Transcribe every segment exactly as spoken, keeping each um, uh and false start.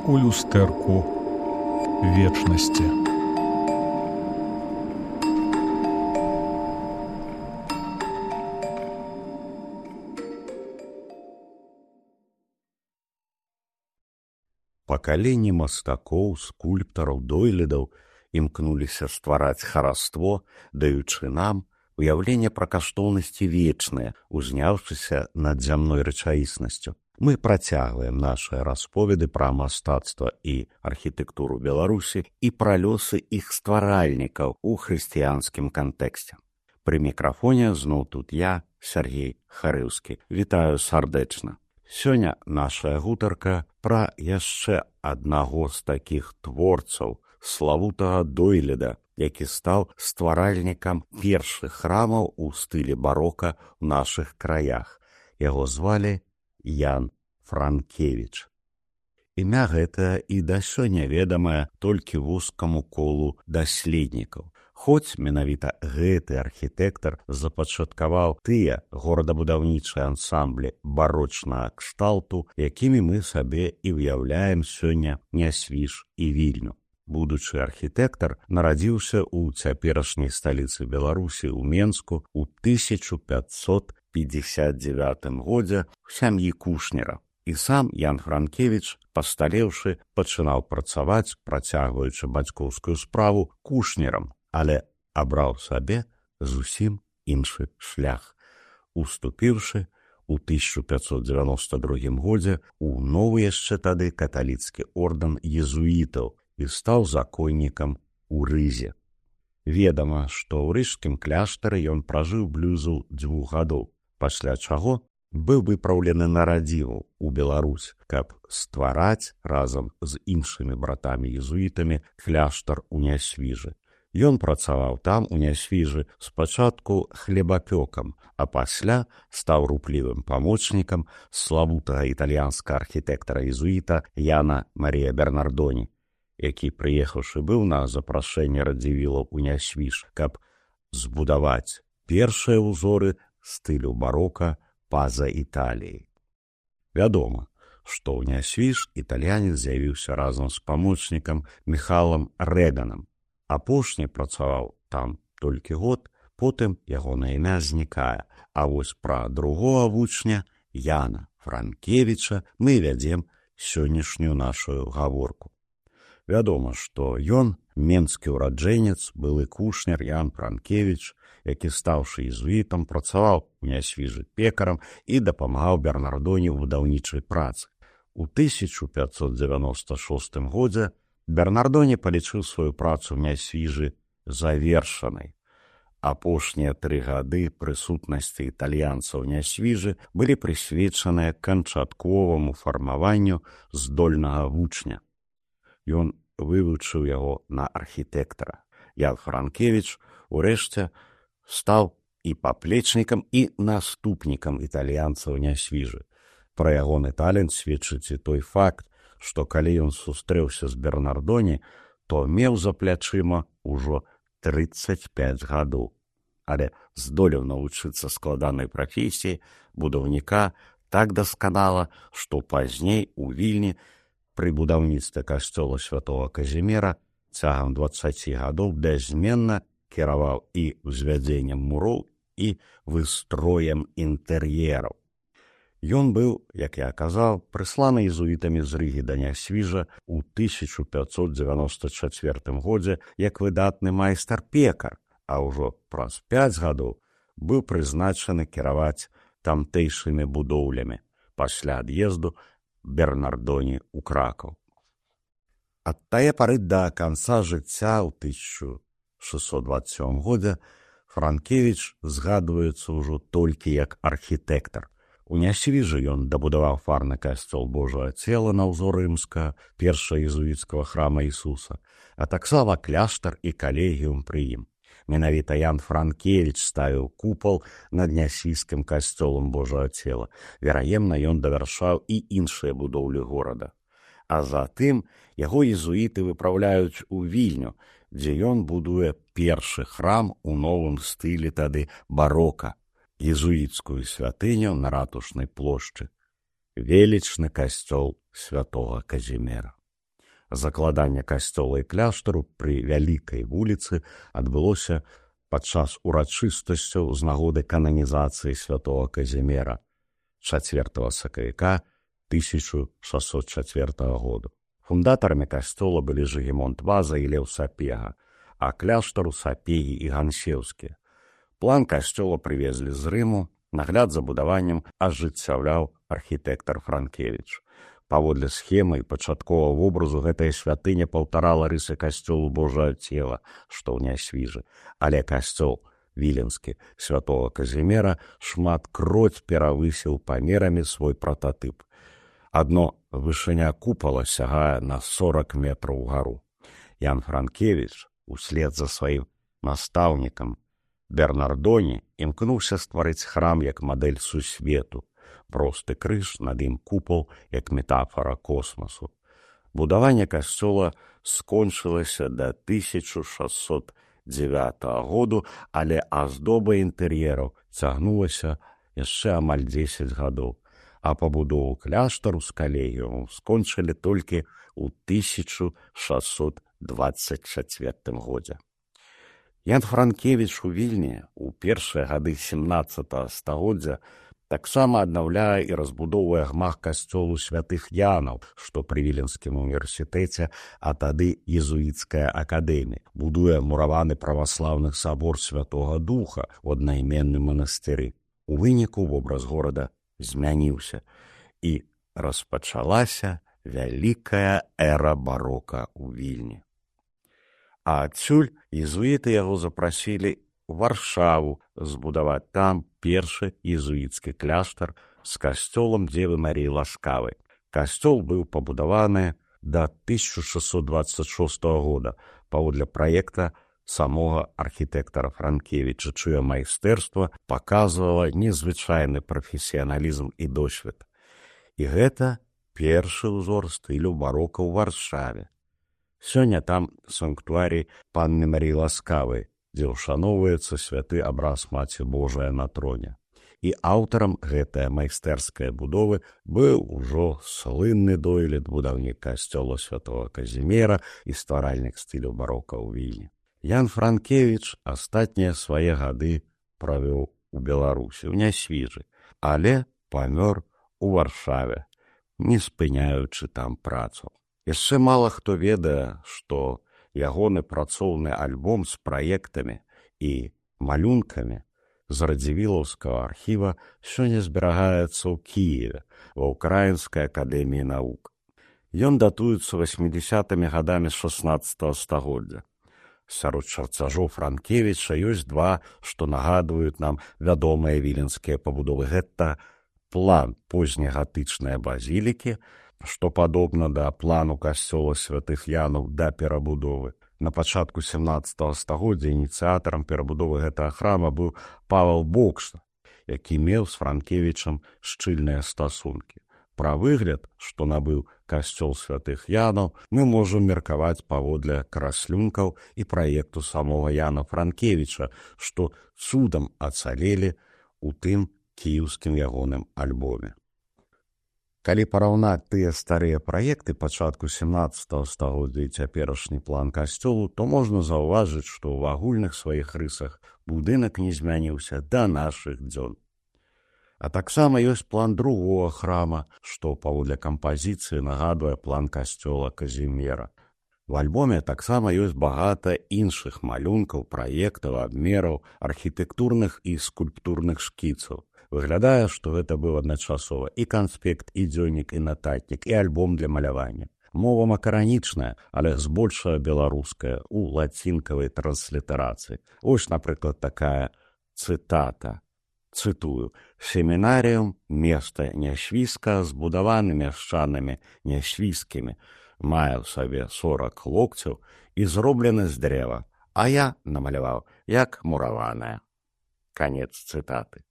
у люстэрку вечнасці. Пакаленні мастакоў, скульптараў, дойлідаў імкнуліся ствараць хараство, даючы нам уяўленне пра каштоўнасці вечныя, узняўшыся над зямной рэчаіснасцю. Мы працягваем нашыя расповеды пра мастацтва і архітэктуру Беларусі і пра лёсы іх стваральнікаў у хрысціянскім кантэксце. Пры мікрафоне зноў тут я, Сергей Харыўскі. Вітаю сардэчна. Сёння нашая гутарка пра яшчэ аднаго з такіх творцаў, славутага дойліда, які стаў стваральнікам першых храмаў у стылі барока ў нашых краях. Яго звалі Ян Франкевіч. Імя гэтае і да сёння ведамае толькі вузкаму колу даследнікаў. Хоць менавіта гэты архітэктар запачаткаваў тыя горадабудаўнічыя ансамблі барочнага кшталту, якімі мы сабе і ўяўляем сёння Нясвіж і Вільню. Будучы архітэктар нарадзіўся ў цяперашняй сталіцы Беларусі ў Менску ў тысяча пятьсот пятьдесят девятым годзе ў сям'і кушнера. І сам Ян Франкевіч, пасталеўшы, пачынаў працаваць, працягваючы бацькоўскую справу кушнерам, але абраў сабе зусім іншы шлях, уступіўшы ў тысяча пятьсот девяносто другім годзе ў новы яшчэ тады каталіцкі ордэн езуітаў і стаў законнікам у Рызе. Ведама, што ў рыжскім кляштары ён пражыў блізу дзвюх гадоў, пасля чаго быў выпраўлены на радзіму ў Беларусь, каб ствараць разам з іншымі братамі-езуітамі кляштар у Нясвіжы. Ён працаваў там у Нясвіжы спачатку хлебапёкам, а пасля стаў руплівым памочнікам славутага італьянскага архітэктара-езуіта Яна Марія Бернардоні, які, прыехаўшы быў на запрашэнне радзівілаў у Нясвіж, каб збудаваць першыя ўзоры стылю барока па-за Італіяй. Вядома, што ў Нясвіж італьянец з'явіўся разам з памочнікам Міхалам Рэганам. Апошні працаваў там толькі год, потым ягонае імя знікае, а вось пра другога вучня Яна Франкевіча мы вядзем сённяшнюю нашу гаворку. Вядома, што ён, менскі ўраджэнец, былы кушнер Ян Франкевіч, які, стаўшы езуітам, працаваў у Нясвіжы пекарам і дапамагаў Бернардоні ў будаўнічай працы. У тысяча пятьсот девяносто шостым годзе Бернардоні палічыў сваю працу ў Нясвіжы завершанай. Апошнія тры гады прысутнасці італьянцаў у Нясвіжы былі прысвечаныя канчатковаму фармаванню здольнага вучня. Ён вывучыў яго на архітэктара. Ян Франкевіч урэшце стаў і паплечнікам, і наступнікам італьянцаў у Нясвіжы. Пра ягоны талент сведчыць і той факт, што калі ён сустрэўся з Бернардоні, то меў за плячыма ўжо трыццаць пяць гадоў, але здолеў навучыцца складанай прафесіі будаўніка так дасканала, што пазней у Вільні пры будаўніцтве касцёла святога Казіміра цягам дваццаці гадоў бяззменна кіраваў і ўзвядзеннем муроў, і выстроем інтэр'ераў. Ён быў, як я казаў, прысланы езуітамі з Рыгі да Нясвіжа ў тысяча пятьсот девяносто четвертым годзе як выдатны майстар-пекар, а ўжо праз пяць гадоў быў прызначаны кіраваць тамтэйшымі будоўлямі пасля ад'езду Бернардоні ў Кракаў. Ад тае пары да канца жыцця ў тысяча шэсцьсот дваццаць сёмым годзе Франкевіч згадваецца ўжо толькі як архітэктар. У Нясвіжы ён дабудаваў фарны касцёл Божага цела на ўзор рымскага, першага езуіцкага храма Ісуса, а таксама кляштар і калегіум пры ім. Менавіта Ян Франкевіч ставіў купал над Нясвіжскім касцёлам Божага цела. Вераемна, ён давяршаў і іншыя будоўлі горада. А затым яго езуіты выпраўляюць у Вільню, дзе ён будуе першы храм у новым стылі тады барока, езуіцкую святыню на ратушнай плошчы, велічны касцёл святога Казіміра. Закладанне касцёла і кляштару пры вялікай вуліцы адбылося падчас урачыстасцяў з нагоды кананізацыі святого Казімера чацвёртага сакавіка тысяча шэсцьсот чацвёртага году. Фундатарамі касцёла былі Жыгімонт Ваза і Леў Сапега, а кляштару Сапегі і Гансеўскія. План касцёла прывезлі з Рыму, нагляд за будаваннем ажыццяўляў архітэктар Франкевіч. Паводле схемы і пачатковага вобразу гэтая святыня паўтарала рысы касцёлу Божага цела, што ў Нясвіжы, але касцёл віленскі святого Казімера шматкроць перавысіў памерамі свой прататып. Адно вышыня купала сягае на сорок метраў угару. Ян Франкевіч услед за сваім настаўнікам Бернардоні імкнуўся стварыць храм як мадэль сусвету, просты крыж, над ім купал, як метафара космасу. Будаванне касцёла скончылася да тысяча шэсцьсот дзевятага году, але аздоба інтэр'ераў цягнулася яшчэ амаль дзесяць гадоў, а пабудову кляштару з калегіуму скончылі толькі ў тысяча шэсцьсот дваццаць чацвёртым годзе. Ян Франкевіч у Вільні ў першыя гады сямнаццатага стагоддзя таксама аднаўляе і разбудоўвае гмах касцёлу святых Янаў, што пры Віленскім універсітэце, а тады езуіцкая акадэмія, будуе мураваны праваслаўны сабор Святога Духа ў аднайменным манастыры. У выніку вобраз горада змяніўся і распачалася вялікая эра барока ў Вільні. А адсюль езуіты яго запрасілі у Варшаву збудаваць там першы езуіцкі кляштар з касцёлам Дзевы Марыі Ласкавай. Касцёл быў пабудаваны да тысяча шэсцьсот дваццаць шостага года паводле праекта самога архітэктара Франкевіча, чыё майстэрства паказвала незвычайны прафесіяналізм і досвед. І гэта першы ўзор стылю барока ў Варшаве. Сёння там санктуарый Панны Марыі Ласкавай, дзе ўшаноўваецца святы абраз Маці Божая на троне. І аўтарам гэтае майстэрскай будовы быў ужо слынны дойлід будаўнік касцёла святого Казімера і стваральнік стылю барока ў Вільні. Ян Франкевіч астатнія свае гады правёў у Беларусі, у Нясвіжы, але памёр у Варшаве, не спыняючы там працу. Яшчэ мала хто ведае, што ягоны працоўны альбом з праектамі і малюнкамі з радзівілаўскага архіва сёння зберагаецца ў Кіеве, ва Ўкраінскай акадэміі навук. Ён датуецца васьмідзясятымі гадамі шаснаццатага стагоддзя. Сярод чарцяжоў Франкевіча ёсць два, што нагадваюць нам вядомыя віленскія пабудовы. Гэта план познегатычнай базілікі, што падобна да плану касцёла святых Янаў да перабудовы. На пачатку сямнаццатага стагоддзя ініцыятарам перабудовы гэтага храма быў Павел Бокшта, які меў з Франкевічам шчыльныя стасункі. Пра выгляд, што набыў касцёл святых Янаў, мы можам меркаваць паводле краслюнкаў і праекту самога Яна Франкевіча, што цудам ацалелі ў тым кіеўскім ягоным альбоме. Калі параўнаць тыя старыя праекты пачатку сямнаццатага стагоддзя і цяперашні план касцёлу, то можна заўважыць, што ў агульных сваіх рысах будынак не змяніўся да нашых дзён. А таксама ёсць план другога храма, што паводле кампазіцыі нагадвае план касцёла Казімера. В альбоме таксама ёсць багата іншых малюнкаў, праектаў, абмераў, архітэктурных і скульптурных шкіцаў. Выглядае, што гэта быў адначасова і канспект, і дзённік, і нататнік, і альбом для малявання. Мова макаранічная, але збольшага беларуская, у лацінкавай транслітарацыі. Ось, напрыклад, такая цытата. Цытую. «Семінаріум – место нясвійска, збудаваны мяшчанамі нясвійскімі, мае ў сабе сорок локцяў і зроблены з дрэва, а я намаляваў, як мураваная». Канец цытаты.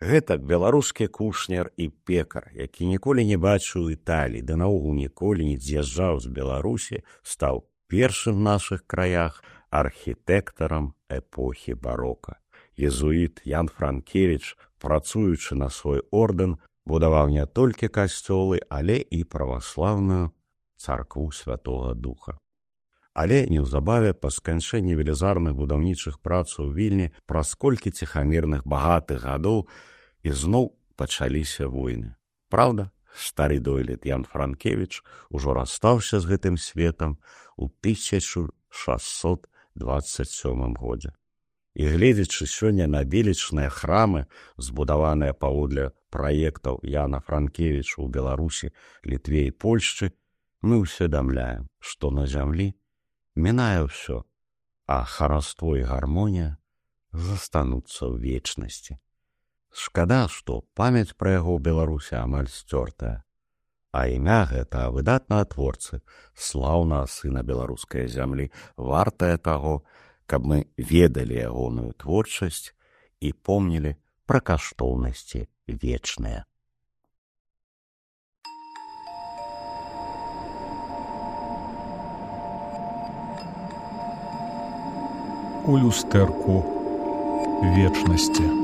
Гэтак беларускі кушнер і пекар, які ніколі не бачыў Італіі, да наогул ніколі не з'язджаў з Беларусі, стаў першым в нашых краях архітэктарам эпохі барока. Езуіт Ян Франкевіч, працуючы на свой ордэн, будаваў не толькі касцёлы, але і праваслаўную царкву Святога Духа. Але неўзабаве па сканчэнні велізарных будаўнічых прац у Вільні праз колькі ціхамірных багатых гадоў ізноў пачаліся войны. Праўда, стары дойлід Ян Франкевіч ужо расстаўся з гэтым светам у тысяча шасцьсот дваццаць сёмым годзе. І гледзячы сёння на велічныя храмы, збудаваныя паводле праектаў Яна Франкевіча ў Беларусі, Літве і Польшчы, мы ўсведамляем, што на зямлі мінае ўсё, а хараство і гармонія застануцца ў вечнасці. Шкада, што памяць пра яго ў Беларусі амаль сцёртая, а імя гэта выдатнага творцы, слаўнага сына беларускай зямлі, вартае таго, каб мы ведалі ягоную творчасць і помнілі пра каштоўнасці вечныя. У люстэрку вечнасці.